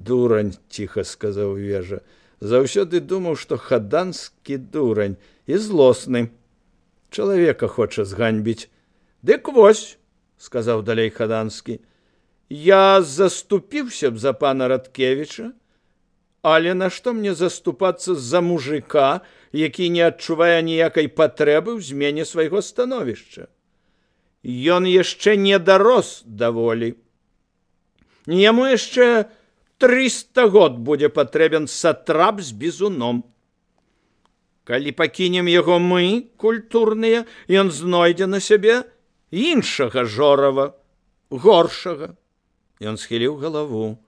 дурань, ціха сказаў вежа. Заўсёды думаў, што Хаданскі дурань і злосны. Чалавека хоча зганьбіць. Дык вось, сказаў далей Хаданскі, я заступіўся б за пана Радкевіча, але нашто мне заступацца за мужика, які не адчувае ніякай патрэбы ў змене свайго становішча? Ён яшчэ не дарос да волі. Яму яшчэ 300 год будзе патрэбен сатрап з бізуном. Калі пакінем яго мы, культурныя, ён знойдзе на сябе іншага жорава, горшага. Ён схіліў галаву.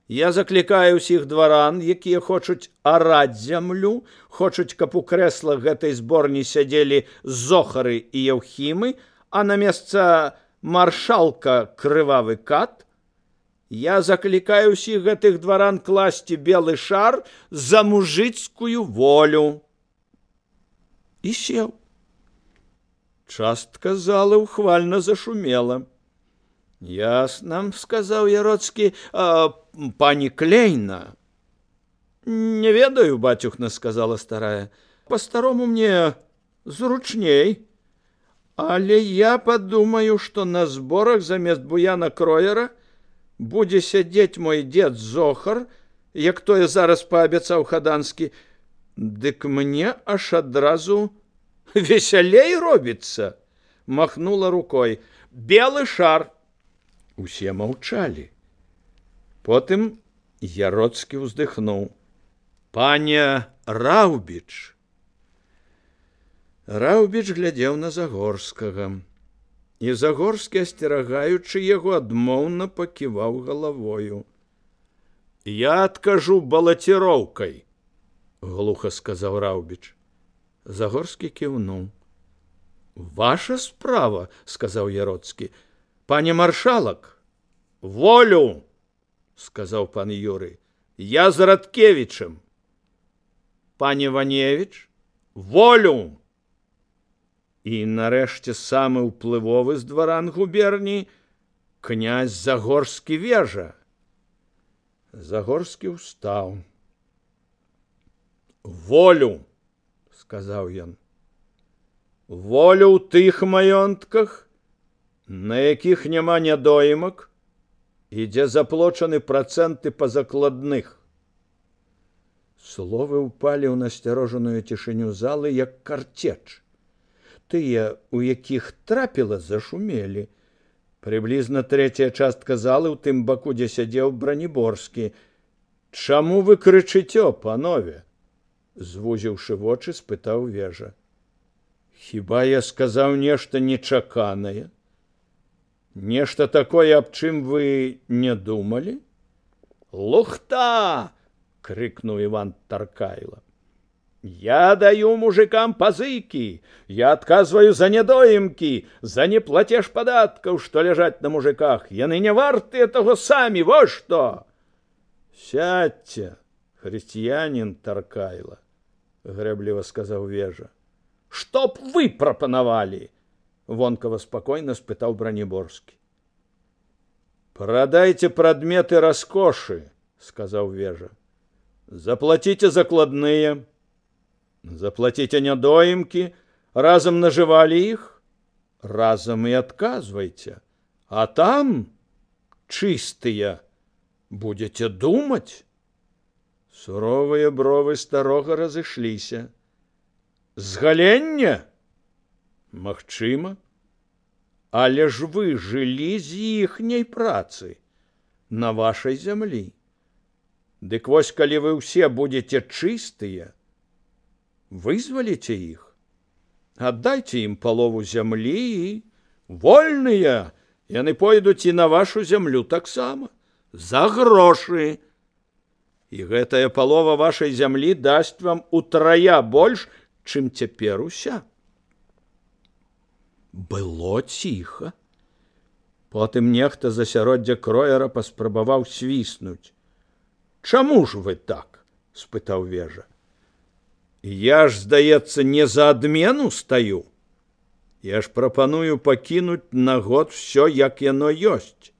Я заклікаю ўсіх дваран, якія хочуць араць зямлю, хочуць, каб у крэслах гэтай зборні сядзелі зохары і яўхімы, а на месца маршалка крывавы кат. Я заклікаю ўсіх гэтых дваран класці белы шар за мужыцкую волю. І сеў. Частка залы ўхвальна зашумела. Ясна, сказаў Яроцкі, пані Клейна. Не ведаю, бацюхна, сказала старая. По-старому мне зручней. Але я падумаю, што на зборах замест Буяна Кроера будзе сядзець мой дзед Зохар, як тое зараз паабяцаў Хаданскі. Дык мне аж адразу весялей робіцца, махнула рукой. Белы шар. Усе маўчалі. Потым Яроцкі ўздыхнуў. Паня Раўбіч. Раўбіч глядзеў на Загорскага. І Загорскі, асцерагаючы яго, адмоўна паківаў галавою. Я адкажу балаціроўкай, глуха сказаў Раўбіч. Загорскі кіўнуў. Ваша справа, сказаў Яроцкі. Пане маршалак, волю, сказаў пан Юрый. Я з Радкевічем. Пане Ваневіч, волю. І нарэшце самы ўплывовы з дваран губерні князь Загорскі вежа. Загорскі ўстаў. Волю, сказаў ён. Волю ў тых маёнтках, на якіх няма нядоімак, і дзе заплочаны працэнты па закладных. Словы ўпалі ў насцярожаную цішыню залы, як карцеч. Тыя, у якіх трапіла, зашумелі. Прыблізна трэцяя частка залы ў тым баку, дзе сядзеў Браніборскі. Чаму вы крычыцё, панове? Звузіўшы вочы, спытаў вежа. Хіба я сказаў нешта нечаканае? Нешта такое, аб чым вы не думалі? Лухта! Крыкнуў Іван Таркайло. Я даю мужикам пазыкі, я адказваю за недоімкі, за неплатеж падаткаў, што ляжаць на мужиках. Яны не вартыя таго самі, во што! Сядьце, хрысціянін Таркайло, грэбліва сказаў вежа. Што б вы прапанавалі? Вонкава спакойна спытаў Браніборскі. Прадайце прадметы раскошы, сказаў вежа. Заплаціце закладныя, заплаціце нядоімкі, разам нажывалі іх, разам і адказвайце. А там, чыстыя, будзеце думаць. Суровыя бровы старога разышліся. Згаленне? Магчыма. Але ж вы жылі з іхняй працы на вашай зямлі. Дык вось, калі вы ўсе будзеце чыстыя, вызваліце іх, аддайце ім палову зямлі і вольныя, яны пойдуць і на вашу зямлю таксама, за грошы. І гэтая палова вашай зямлі дасць вам утрая больш, чым цяпер уся. Было ціха. Потым нехта з асяроддзя Кроера паспрабаваў свіснуць. Чаму ж вы так? Спытаў вежа. Я ж, здаецца, не за адмену стаю. Я ж прапаную пакінуць на год всё, як яно ёсць.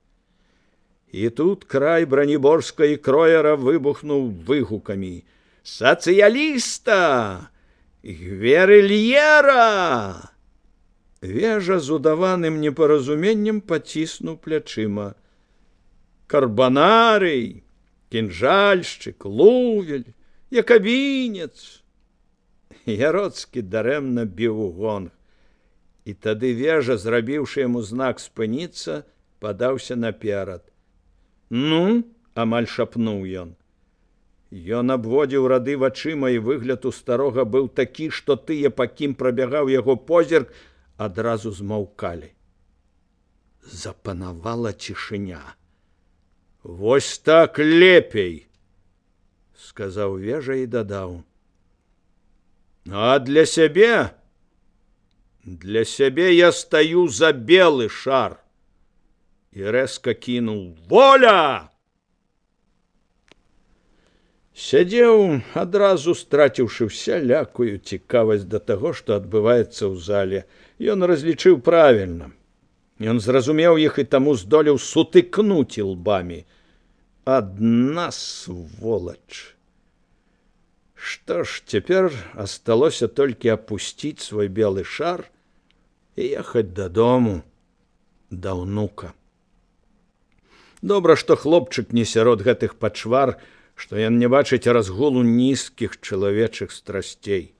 І тут край браніборска і кроера выбухнуў выгукамі: «Сацыяліста! Гверыльера!» Вежа з удаваным непаразуменнем паціснуў плячыма. «Карбанарый, кінжальшчык, лувель, якабінец!» Яроцкі дарэмна біў у гонг. І тады вежа, зрабіўшы яму знак спыніцца, падаўся наперад. «Ну?» – амаль шапнуў ён. Ён абводзіў рады вачыма, і выгляд у старога быў такі, што тыя, па кім прабягаў яго позірк, адразу змаўкалі. Запанавала цішыня. «Вось так лепей!» – сказаў вежа і дадаў. «А для сябе? Для сябе я стаю за белы шар!» І рэзка кінуў: «Воля!» Сядзеў, адразу страціўшы усялякую цікавасць да таго, што адбываецца ў зале. Ён разлічыў правільна. Ён зразумеў іх і таму здолеў сутыкнуць ілбамі. Адна сволач! Што ж, цяпер асталося толькі апусціць свой белы шар і ехаць дадому, да ўнука. Добра, што хлопчык не сярод гэтых пачвар, што ён не бачыць разгулу нізкіх чалавечых страсцей.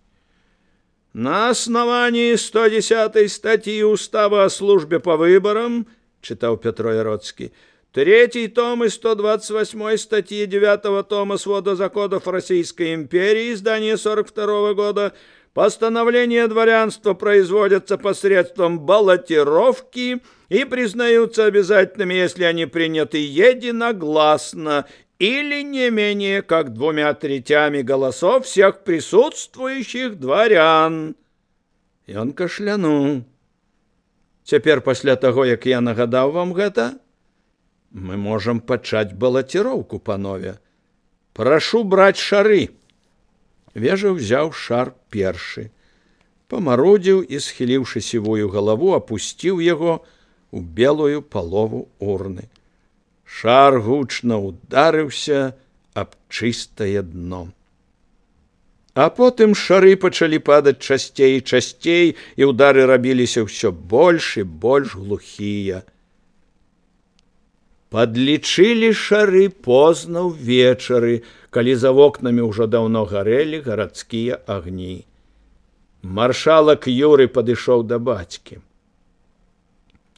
«На основании 110 статьи Устава о службе по выборам, — читал Петро Яроцкий, — 3 том и 128 статьи 9 тома свода законов Российской империи, издание 42 года, постановления дворянства производятся посредством баллотировки и признаются обязательными, если они приняты единогласно или не менее как 2/3 голосов всех присутствующих дворян». И он кашлянул. Цяпер, пасля таго, як я нагадаў вам гэта, мы можам пачаць балаціроўку, панове. Прашу браць шары. Вежа ўзяў шар першы, памарудзіў і, схіліўшы сівую галаву, апусціў яго у белую палову урны. Шар гучна ударыўся аб чыстае дно. А потым шары пачалі падаць часцей і часцей, і ўдары рабіліся ўсё больш і больш глухія. Падлічылі шары позна ўвечары, калі за вокнамі ўжо даўно гарэлі гарадскія агні. Маршалак Юры падышоў да бацькі.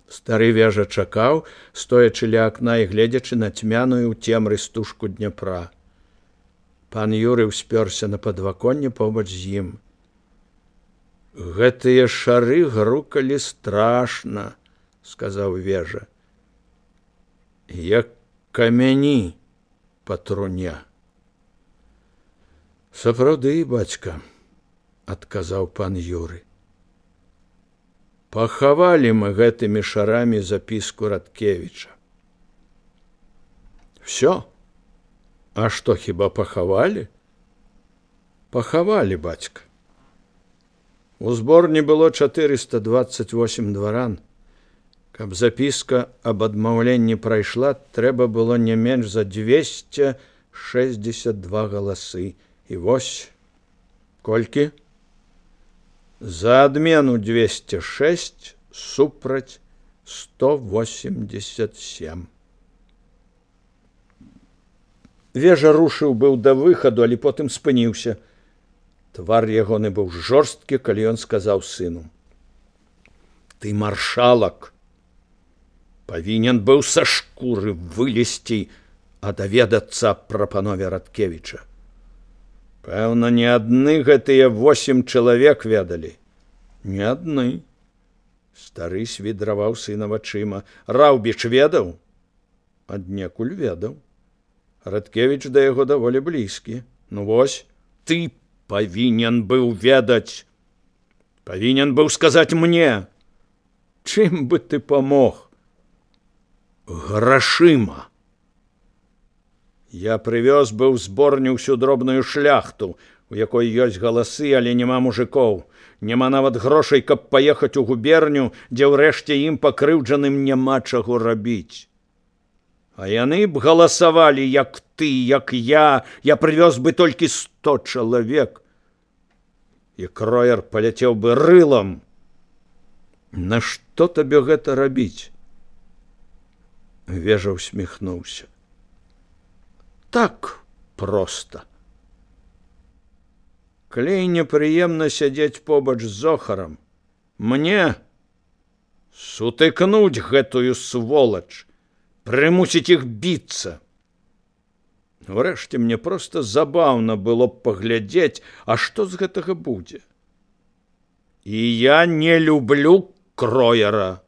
Стары вежа чакаў, стоячы ля акна і гледзячы на цьмяную ў цемры стужку Дняпра. Пан Юры ўспёрся на падваконне побач з ім. «Гэтыя шары грукалі страшна, — сказаў вежа, — як камяні па труне». «Сапраўды, бацька, — адказаў пан Юры. Пахавалі мы гэтымі шарамі запіску Радкевіча». «Всё? А што, хіба пахавалі?» «Пахавалі, бацька. У зборні было 428 дваран. Каб запіска аб адмаўленні прайшла, трэба было не менш за 262 галасы. І вось колькі? За адмену 206, супраць 187. Вежа рушыў быў да выхаду, але потым спыніўся. Твар ягоны быў жорсткі, калі ён сказаў сыну: «Ты, маршалак, павінен быў са шкуры вылезці, а даведацца пра панове Радкевіча. Пэўна, не адны гэтыя 8 чалавек ведалі. Не адны». Стары свідраваў сына вачыма. «Раўбіч ведаў?» «Аднекуль ведаў. Радкевіч да яго даволі блізкі. Ну вось, ты павінен быў ведаць. Павінен быў сказаць мне. Чым бы ты памог?» «Грашыма. Я прывёз быў зборню ўсю дробную шляхту, у якой ёсць галасы, але няма мужикоў. Няма нават грошай, каб паехаць у губерню, дзе ўрэшце ім пакрыўджаным няма чаго рабіць. А яны б галасавалі, як ты, як я прывёз бы толькі 100 чалавек. І Кроер паляцеў бы рылам. Нашто табе гэта рабіць? Вежа усміхнуўся. Так проста. Калі непрыемна сядзець побач з Зохарам, мне сутыкнуць гэтую сволач, прымусіць іх біцца. Урэшце мне проста забаўна было б паглядзець, а што з гэтага будзе. І я не люблю Кроера.